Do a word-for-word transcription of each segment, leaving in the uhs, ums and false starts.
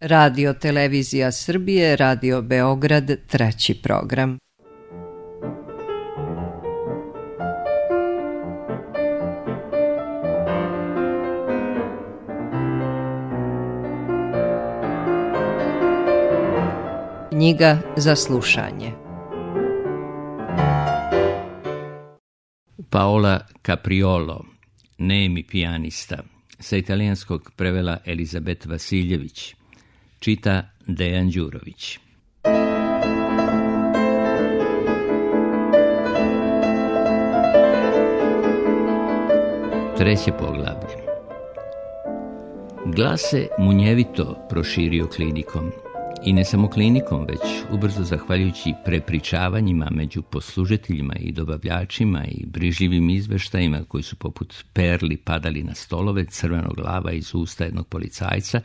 Radio Televizija Srbije, Radio Beograd, treći program. Knjiga za slušanje. Paola Capriolo, nemi pijanista, sa italijanskog prevela Elizabet Vasiljević, čita Dejan Đurović. Treće poglavlje. Glas se munjevito proširio klinikom. I ne samo klinikom, već ubrzo zahvaljujući prepričavanjima među poslužiteljima i dobavljačima i brižljivim izveštajima koji su poput perli padali na stolove crvenog glava iz usta jednog policajca,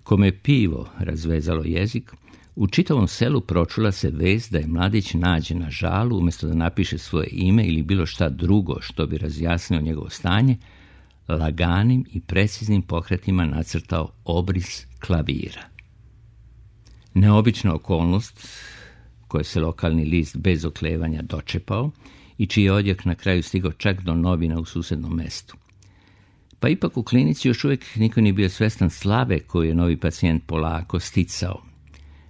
kome je pivo razvezalo jezik, u čitavom selu pročula se vest da je mladić nađen na žalu, umjesto da napiše svoje ime ili bilo šta drugo što bi razjasnilo njegovo stanje, laganim i preciznim pokretima nacrtao obris klavira. Neobična okolnost koje se lokalni list bez oklevanja dočepao i čiji je odjek na kraju stigao čak do novina u susednom mestu. Pa ipak u klinici još uvijek niko nije bio svestan slave koju je novi pacijent polako sticao.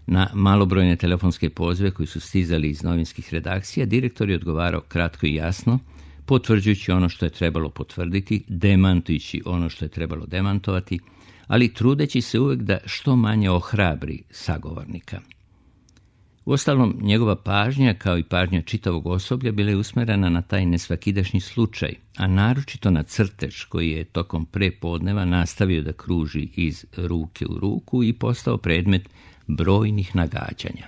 Na malobrojne telefonske pozive koji su stizali iz novinskih redakcija, direktor je odgovarao kratko i jasno, potvrđujući ono što je trebalo potvrditi, demantujući ono što je trebalo demantovati, ali trudeći se uvijek da što manje ohrabri sagovornika. Uostalom, njegova pažnja, kao i pažnja čitavog osoblja, bila je usmjerena na taj nesvakidašnji slučaj, a naročito na crtež koji je tokom prepodneva nastavio da kruži iz ruke u ruku i postao predmet brojnih nagađanja.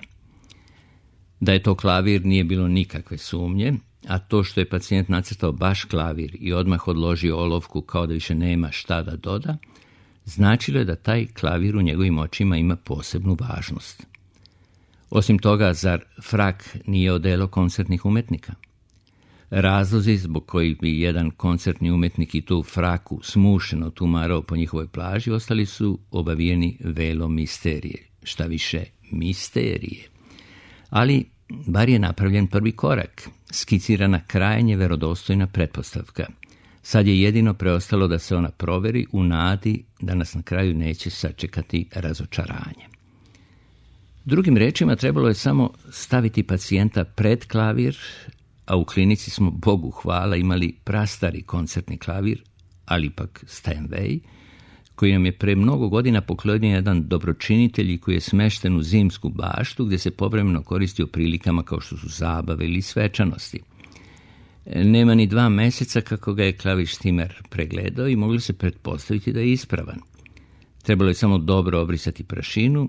Da je to klavir nije bilo nikakve sumnje, a to što je pacijent nacrtao baš klavir i odmah odložio olovku kao da više nema šta da doda, značilo je da taj klavir u njegovim očima ima posebnu važnost. Osim toga, zar frak nije odelo koncertnih umetnika? Razlozi zbog kojih bi jedan koncertni umetnik i tu fraku smušeno tumarao po njihovoj plaži ostali su obavijeni velom misterije, šta više misterije. Ali bar je napravljen prvi korak, skicirana krajnje verodostojna pretpostavka. Sad je jedino preostalo da se ona proveri u nadi da nas na kraju neće sačekati razočaranje. Drugim rečima, trebalo je samo staviti pacijenta pred klavir, a u klinici smo, Bogu hvala, imali prastari koncertni klavir, ali ipak Steinway, koji nam je pre mnogo godina poklonio jedan dobročinitelj i koji je smešten u zimsku baštu, gdje se povremeno koristi u prilikama kao što su zabave ili svečanosti. Nema ni dva mjeseca kako ga je klavištimer pregledao i mogli se pretpostaviti da je ispravan. Trebalo je samo dobro obrisati prašinu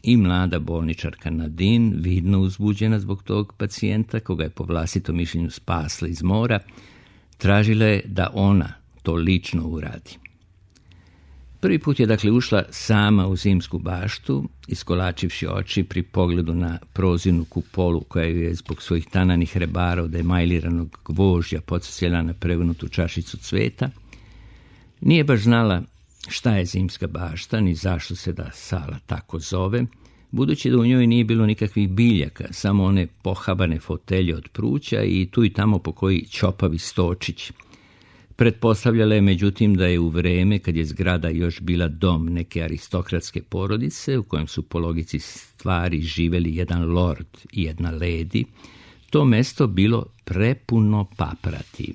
i mlada bolničarka Nadine, vidno uzbuđena zbog tog pacijenta, koga je po vlastitom mišljenju spasla iz mora, tražila je da ona to lično uradi. Prvi put je dakle ušla sama u zimsku baštu, iskolačivši oči pri pogledu na prozirnu kupolu koja ju je zbog svojih tananih rebara od emajliranog gvožđa podsjetila na prevrnutu čašicu cveta. Nije baš znala šta je zimska bašta, ni zašto se da sala tako zove, budući da u njoj nije bilo nikakvih biljaka, samo one pohabane fotelje od pruća i tu i tamo po koji ćopavi stočić. Pretpostavljala je međutim da je u vreme kad je zgrada još bila dom neke aristokratske porodice u kojem su po logici stvari živeli jedan lord i jedna lady, to mesto bilo prepuno paprati.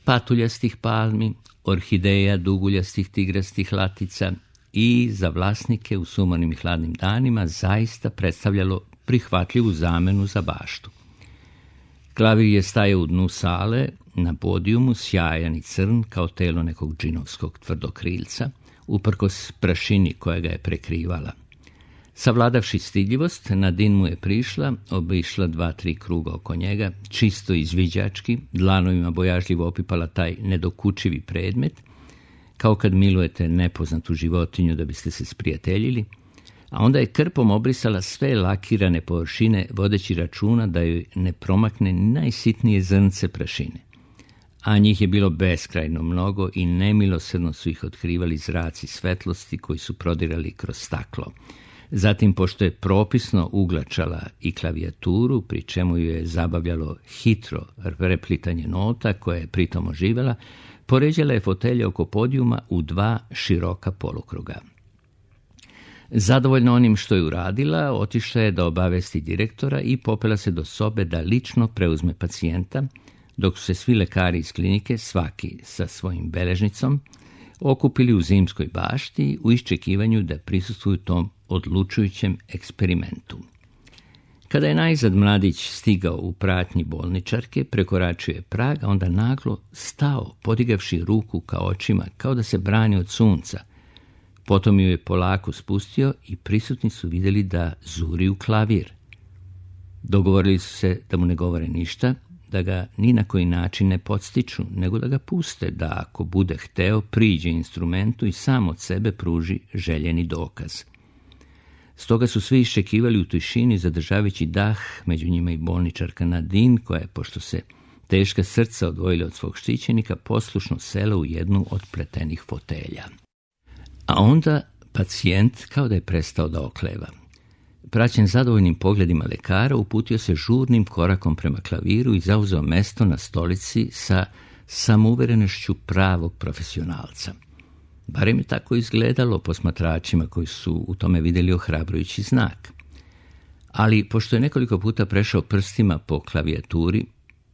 Patuljastih palmi, orhideja duguljastih tigrastih latica i za vlasnike u sumornim i hladnim danima zaista predstavljalo prihvatljivu zamenu za baštu. Klavir je stajao u dnu sale, na podijumu, sjajan i crn kao telo nekog džinovskog tvrdokrilca, uprkos prašini koja ga je prekrivala. Savladavši stidljivost, Nadine mu je prišla, obišla dva, tri kruga oko njega, čisto izviđački, dlanovima bojažljivo opipala taj nedokučivi predmet, kao kad milujete nepoznatu životinju da biste se sprijateljili, a onda je krpom obrisala sve lakirane površine, vodeći računa da joj ne promakne najsitnije zrnce prašine. a njih je bilo beskrajno mnogo i nemilosrdno su ih otkrivali zraci svetlosti koji su prodirali kroz staklo. Zatim, pošto je propisno uglačala i klavijaturu, pri čemu ju je zabavljalo hitro replitanje nota koje je pritom oživjela, poređala je fotelje oko podijuma u dva široka polukruga. Zadovoljna onim što je uradila, otišla je da obavesti direktora i popela se do sobe da lično preuzme pacijenta, dok su se svi lekari iz klinike, svaki sa svojim beležnicom, okupili u zimskoj bašti u iščekivanju da prisustvuju tom odlučujućem eksperimentu. Kada je najzad mladić stigao u pratnji bolničarke, prekoračio je prag, a onda naglo stao, podigavši ruku ka očima, kao da se brani od sunca. Potom ju je polako spustio i prisutni su vidjeli da zuri u klavir. Dogovorili su se da mu ne govore ništa, da ga ni na koji način ne podstiču, nego da ga puste, da ako bude hteo priđe instrumentu i sam od sebe pruži željeni dokaz. Stoga su svi iščekivali u tišini, zadržavajući dah, među njima i bolničarka Nadine, koja je, pošto se teška srca odvojila od svog štićenika, poslušno sela u jednu od pletenih fotelja. A onda pacijent kao da je prestao da okleva. Praćen zadovoljnim pogledima lekara, uputio se žurnim korakom prema klaviru i zauzeo mesto na stolici sa samouverenošću pravog profesionalca. Barem je tako izgledalo posmatračima koji su u tome vidjeli ohrabrujući znak. Ali, pošto je nekoliko puta prešao prstima po klavijaturi,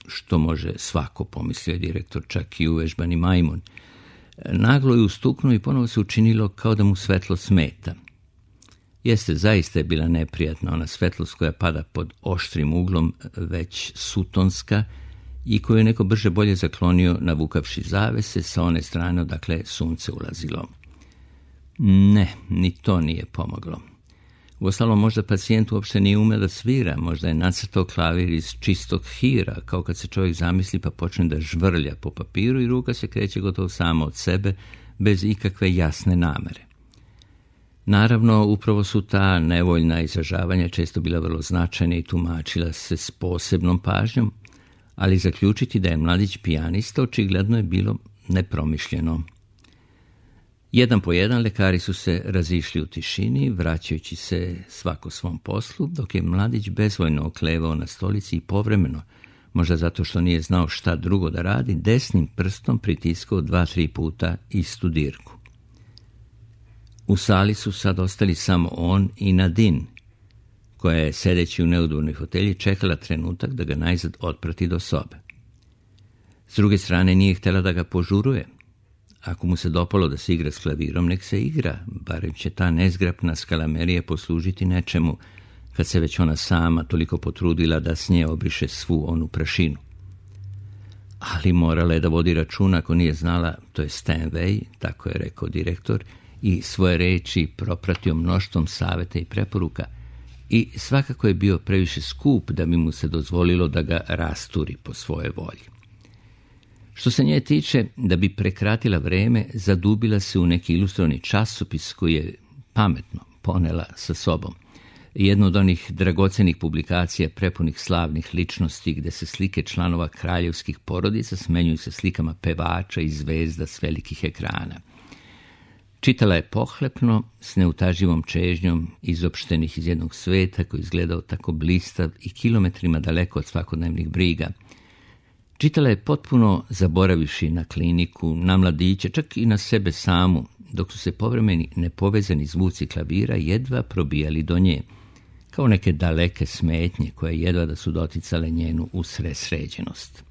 što može svako, pomislio je direktor, čak i uvežbani majmun, naglo je ustuknuo i ponovo se učinilo kao da mu svetlo smeta. Jeste, zaista je bila neprijatna ona svetlost koja pada pod oštrim uglom, već sutonska, i koju je neko brže bolje zaklonio navukavši zavese sa one strane odakle sunce ulazilo. Ne, ni to nije pomoglo. Uostalom, možda pacijent uopšte nije umeo da svira, možda je nacrtao klavir iz čistog hira, kao kad se čovjek zamisli pa počne da žvrlja po papiru i ruka se kreće gotovo samo od sebe, bez ikakve jasne namere. Naravno, upravo su ta nevoljna izražavanja često bila vrlo značajna i tumačila se s posebnom pažnjom, ali zaključiti da je mladić pijanista očigledno je bilo nepromišljeno. Jedan po jedan lekari su se razišli u tišini, vraćajući se svako svom poslu, dok je mladić bezvoljno oklevao na stolici i povremeno, možda zato što nije znao šta drugo da radi, desnim prstom pritiskao dva, tri puta istu dirku. U sali su sad ostali samo on i Nadine, koja je, sedeći u neudobnoj fotelji, čekala trenutak da ga najzad otprati do sobe. S druge strane, nije htjela da ga požuruje. Ako mu se dopalo da se igra s klavirom, nek se igra, barem će ta nezgrapna skalamerija poslužiti nečemu, kad se već ona sama toliko potrudila da s nje obriše svu onu prašinu. Ali morala je da vodi računa, ako nije znala, to je Steinway, tako je rekao direktor, i svoje reči propratio mnoštvom saveta i preporuka, i svakako je bio previše skup da bi mu se dozvolilo da ga rasturi po svoje volji. Što se nje tiče, da bi prekratila vreme, zadubila se u neki ilustrovani časopis koji je pametno ponela sa sobom. Jedno od onih dragocenih publikacija prepunih slavnih ličnosti gde se slike članova kraljevskih porodica smenjuju se slikama pevača i zvezda s velikih ekrana. Čitala je pohlepno, s neutaživom čežnjom, izopštenih iz jednog sveta koji izgledao tako blistav i kilometrima daleko od svakodnevnih briga. Čitala je potpuno zaboravivši na kliniku, na mladiće, čak i na sebe samu, dok su se povremeni nepovezani zvuci klavira jedva probijali do nje, kao neke daleke smetnje koje jedva da su doticale njenu usresređenost.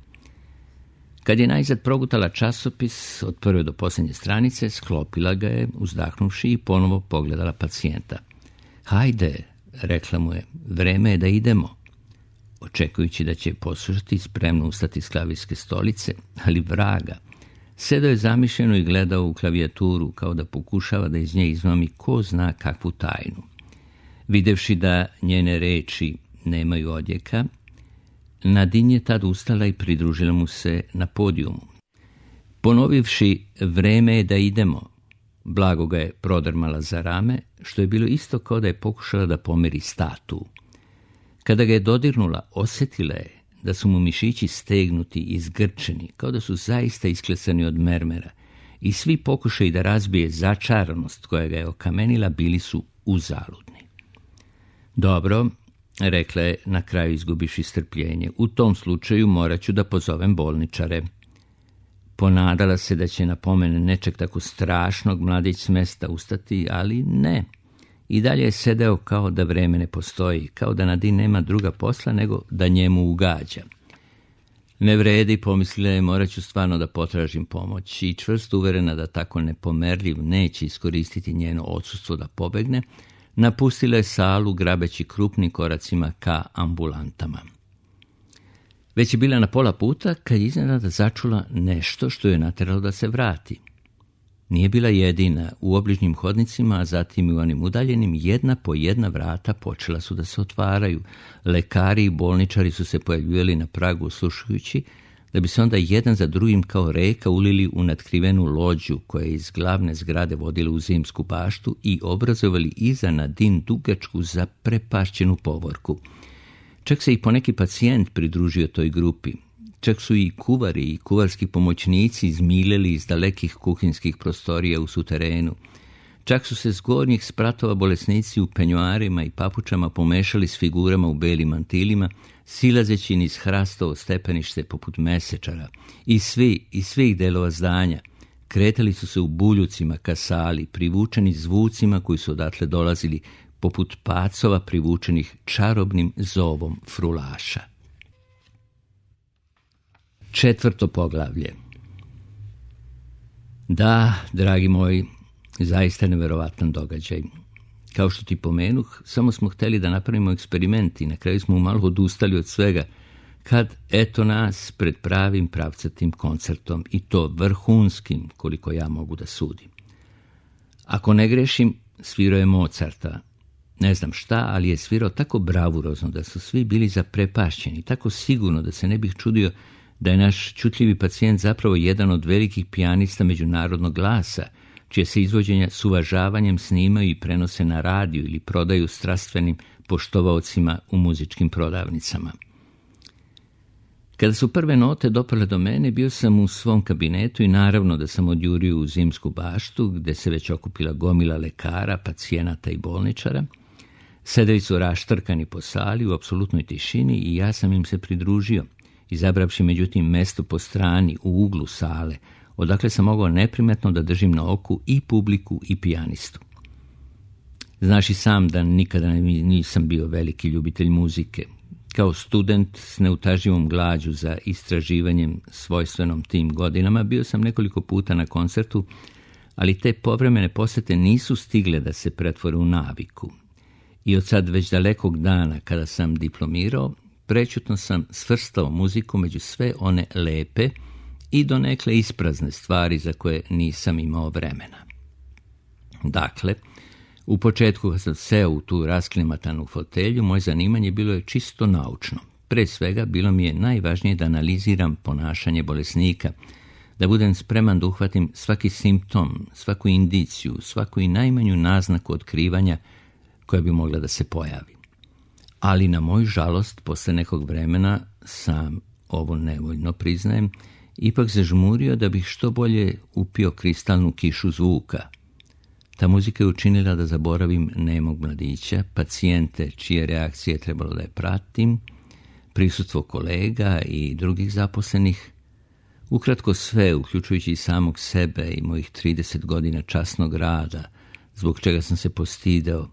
Kad je najzad progutala časopis od prve do posljednje stranice, sklopila ga je, uzdahnuvši, i ponovo pogledala pacijenta. Hajde, rekla mu je, vreme je da idemo. Očekujući da će poslušati, spremno ustati s klavirske stolice, ali vraga. Sedao je zamišljeno i gledao u klavijaturu, kao da pokušava da iz nje izmami ko zna kakvu tajnu. Videvši da njene reči nemaju odjeka, Nadine je tad ustala i pridružila mu se na podijumu. Ponovivši vreme je da idemo, blago ga je prodrmala za rame, što je bilo isto kao da je pokušala da pomeri statu. Kada ga je dodirnula, osjetila je da su mu mišići stegnuti i zgrčeni, kao da su zaista isklesani od mermera, i svi pokušaji da razbije začaranost koja ga je okamenila bili su uzaludni. Dobro, rekla je na kraju izgubivši strpljenje, u tom slučaju morat ću da pozovem bolničare. Ponadala se da će na pomen nečeg tako strašnog mladić s mesta ustati, ali ne. I dalje je sedeo kao da vreme ne postoji, kao da Nadine nema druga posla nego da njemu ugađa. Ne vredi, pomislila je, morat ću stvarno da potražim pomoć, i čvrsto uverena da tako nepomerljiv neće iskoristiti njeno odsustvo da pobegne, napustila je salu grabeći krupnim koracima ka ambulantama. Već je bila na pola puta kad je iznenada začula nešto što je nateralo da se vrati. Nije bila jedina. U obližnjim hodnicima, a zatim i u onim udaljenim, jedna po jedna vrata počela su da se otvaraju. Lekari i bolničari su se pojavljivali na pragu slušajući, da bi se onda jedan za drugim kao reka ulili u natkrivenu lođu koja je iz glavne zgrade vodila u zimsku baštu i obrazovali iza Nadine dugačku zaprepašćenu povorku. Čak se i poneki pacijent pridružio toj grupi. Čak su i kuvari i kuvarski pomoćnici izmiljeli iz dalekih kuhinskih prostorija u suterenu. Čak su se s gornjih spratova bolesnici u penjuarima i papučama pomešali s figurama u belim mantilima, silazeći niz hrastovo stepenište poput mesečara. I svi, iz svih delova zdanja, kretali su se u buljucima ka sali, privučeni zvucima koji su odatle dolazili, poput pacova privučenih čarobnim zovom frulaša. Četvrto poglavlje. Da, dragi moji, zaista neverovatan događaj. Kao što ti pomenuh, samo smo hteli da napravimo eksperiment i na kraju smo malo odustali od svega, kad eto nas pred pravim pravcatim koncertom, i to vrhunskim, koliko ja mogu da sudim. Ako ne grešim, svirao je Mozarta. Ne znam šta, ali je svirao tako bravurozno da su svi bili zaprepašćeni, tako sigurno da se ne bih čudio da je naš čutljivi pacijent zapravo jedan od velikih pijanista međunarodnog glasa, čije se izvođenja s uvažavanjem snimaju i prenose na radiju ili prodaju strastvenim poštovaocima u muzičkim prodavnicama. Kada su prve note dopale do mene, bio sam u svom kabinetu i naravno da sam odjurio u zimsku baštu, gde se već okupila gomila lekara, pacijenata i bolničara. Sedeli su raštrkani po sali u apsolutnoj tišini i ja sam im se pridružio, izabravši međutim mesto po strani u uglu sale, odakle sam mogao neprimetno da držim na oku i publiku i pijanistu. Znaš i sam da nikada nisam bio veliki ljubitelj muzike. Kao student s neutaživom glađu za istraživanjem svojstvenom tim godinama bio sam nekoliko puta na koncertu, ali te povremene posete nisu stigle da se pretvore u naviku. I od sad već dalekog dana kada sam diplomirao, prečutno sam svrstao muziku među sve one lepe i donekle isprazne stvari za koje nisam imao vremena. Dakle, u početku kad sam seo u tu rasklimatanu fotelju, moje zanimanje bilo je čisto naučno. Pre svega bilo mi je najvažnije da analiziram ponašanje bolesnika, da budem spreman da uhvatim svaki simptom, svaku indiciju, svaku i najmanju naznaku otkrivanja koja bi mogla da se pojavi. Ali na moju žalost, posle nekog vremena, sam ovo nevoljno priznajem, ipak zažmurio da bih što bolje upio kristalnu kišu zvuka. Ta muzika je učinila da zaboravim nemog mladića, pacijente čije reakcije je trebalo da je pratim, prisustvo kolega i drugih zaposlenih, ukratko sve, uključujući i samog sebe i mojih trideset godina časnog rada, zbog čega sam se postideo,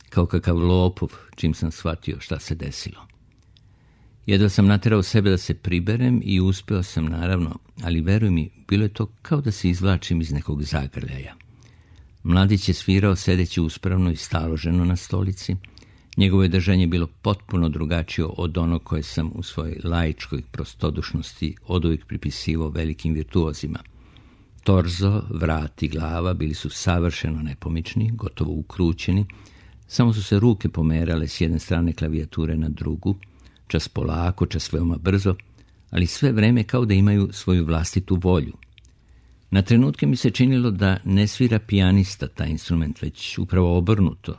kao kakav lopov, čim sam shvatio šta se desilo. Jedva sam naterao sebe da se priberem i uspeo sam, naravno, ali veruj mi, bilo je to kao da se izvlačim iz nekog zagrljaja. Mladić je svirao sedeći uspravno i staloženo na stolici. Njegovo je držanje bilo potpuno drugačije od onog koje sam u svojoj laičkoj prostodušnosti oduvijek pripisivao velikim virtuozima. Torzo, vrat i glava bili su savršeno nepomični, gotovo ukrućeni, samo su se ruke pomerale s jedne strane klavijature na drugu, čas polako, čas veoma brzo, ali sve vreme kao da imaju svoju vlastitu volju. Na trenutke mi se činilo da ne svira pijanista taj instrument, već upravo obrnuto,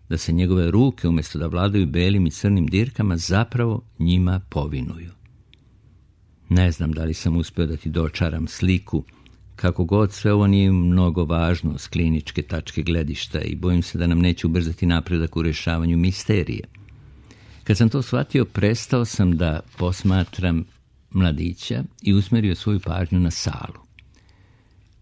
da se njegove ruke, umjesto da vladaju belim i crnim dirkama, zapravo njima povinuju. Ne znam da li sam uspio da ti dočaram sliku. Kako god, sve ovo nije mnogo važno s kliničke tačke gledišta i bojim se da nam neće ubrzati napredak u rješavanju misterije. Kad sam to shvatio, prestao sam da posmatram mladića i usmjerio svoju pažnju na salu.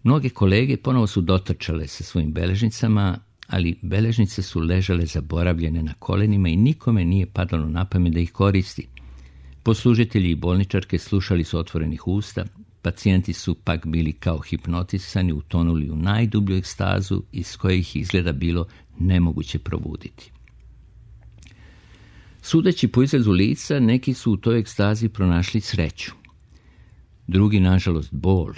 Mnoge kolege ponovo su dotrčale sa svojim beležnicama, ali beležnice su ležale zaboravljene na kolenima i nikome nije padalo na pamet da ih koristi. Poslužitelji i bolničarke slušali su otvorenih usta, pacijenti su pak bili kao hipnotisani, utonuli u najdublju ekstazu iz koje ih izgleda bilo nemoguće probuditi. Sudeći po izrazu lica, neki su u toj ekstazi pronašli sreću. Drugi, nažalost, bol.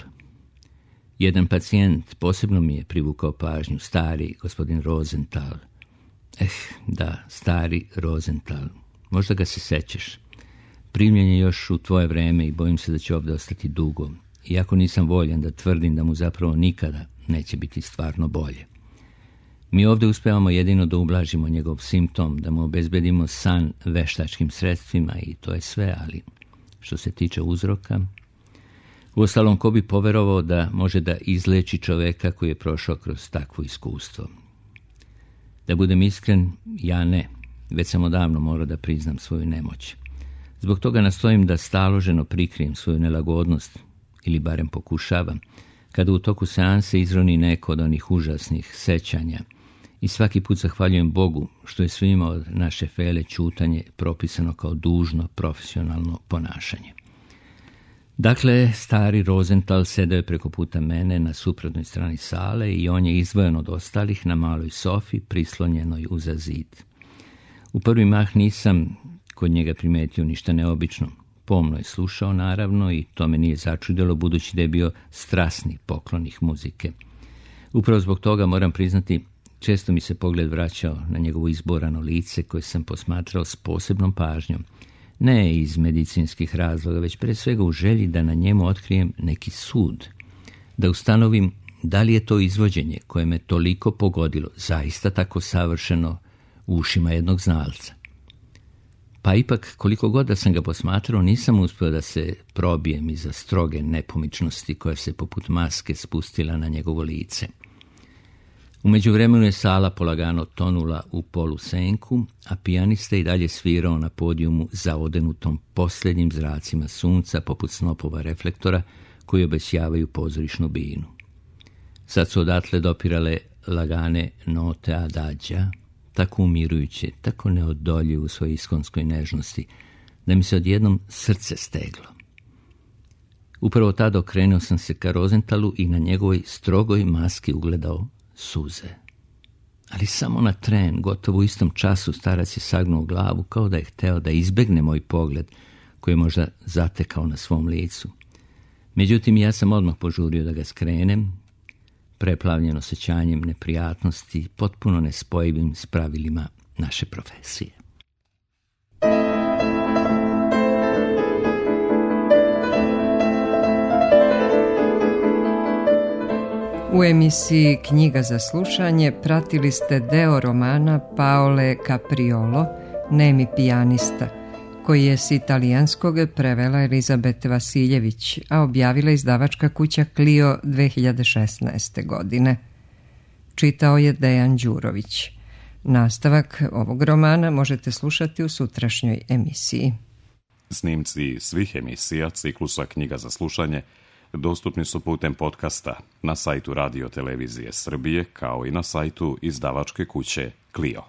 Jedan pacijent posebno mi je privukao pažnju, stari gospodin Rosenthal. Eh, da, stari Rosenthal. Možda ga se sećaš. Primljen je još u tvoje vreme i bojim se da će ovdje ostati dugo. Iako nisam voljan da tvrdim da mu zapravo nikada neće biti stvarno bolje. Mi ovdje uspevamo jedino da ublažimo njegov simptom, da mu obezbedimo san veštačkim sredstvima i to je sve, ali što se tiče uzroka... Uostalom, ko bi poverovao da može da izleči čoveka koji je prošao kroz takvo iskustvo? Da budem iskren, ja ne. Već sam odavno morao da priznam svoju nemoć. Zbog toga nastojim da staloženo prikrijem svoju nelagodnost, ili barem pokušavam, kada u toku seanse izroni neko od onih užasnih sećanja i svaki put zahvaljujem Bogu što je svima od naše Fele ćutanje propisano kao dužno profesionalno ponašanje. Dakle, stari Rosenthal sedeo je preko puta mene na suprotnoj strani sale i on je izdvojen od ostalih na maloj sofi prislonjenoj uza zid. U prvi mah nisam kod njega primetio ništa neobično. Pomno je slušao, naravno, i to me nije začudilo, budući da je bio strasni poklonik muzike. Upravo zbog toga, moram priznati, često mi se pogled vraćao na njegovo izborano lice koje sam posmatrao s posebnom pažnjom. Ne iz medicinskih razloga, već pre svega u želji da na njemu otkrijem neki sud, da ustanovim da li je to izvođenje koje me toliko pogodilo zaista tako savršeno u ušima jednog znalca. Pa ipak, koliko god da sam ga posmatrao, nisam uspio da se probijem iza stroge nepomičnosti koja se poput maske spustila na njegovo lice. U međuvremenu je sala polagano tonula u polusenku, a pijanista i dalje svirao na podijumu zaodenutom posljednjim zracima sunca poput snopova reflektora koji obesjavaju pozorišnu binu. Sad su odatle dopirale lagane note adagija, tako umirujuće, tako neodoljive u svojoj iskonskoj nežnosti, da mi se odjednom srce steglo. Upravo tada okrenuo sam se ka Rosenthalu i na njegovoj strogoj maski ugledao suze. Ali samo na tren, gotovo u istom času, starac je sagnuo glavu kao da je hteo da izbegne moj pogled koji je možda zatekao na svom licu. Međutim, ja sam odmah požurio da ga skrenem, preplavljen osjećanjem neprijatnosti, potpuno nespojivim s pravilima naše profesije. U emisiji Knjiga za slušanje pratili ste deo romana Paole Capriolo, Nemi pijanista, koji je s italijanskog prevela Elizabete Vasiljević, a objavila izdavačka kuća Clio dve hiljade šesnaeste. godine. Čitao je Dejan Đurović. Nastavak ovog romana možete slušati u sutrašnjoj emisiji. Snimci svih emisija ciklusa Knjiga za slušanje dostupni su putem podcasta na sajtu Radio Televizije Srbije, kao i na sajtu izdavačke kuće Clio.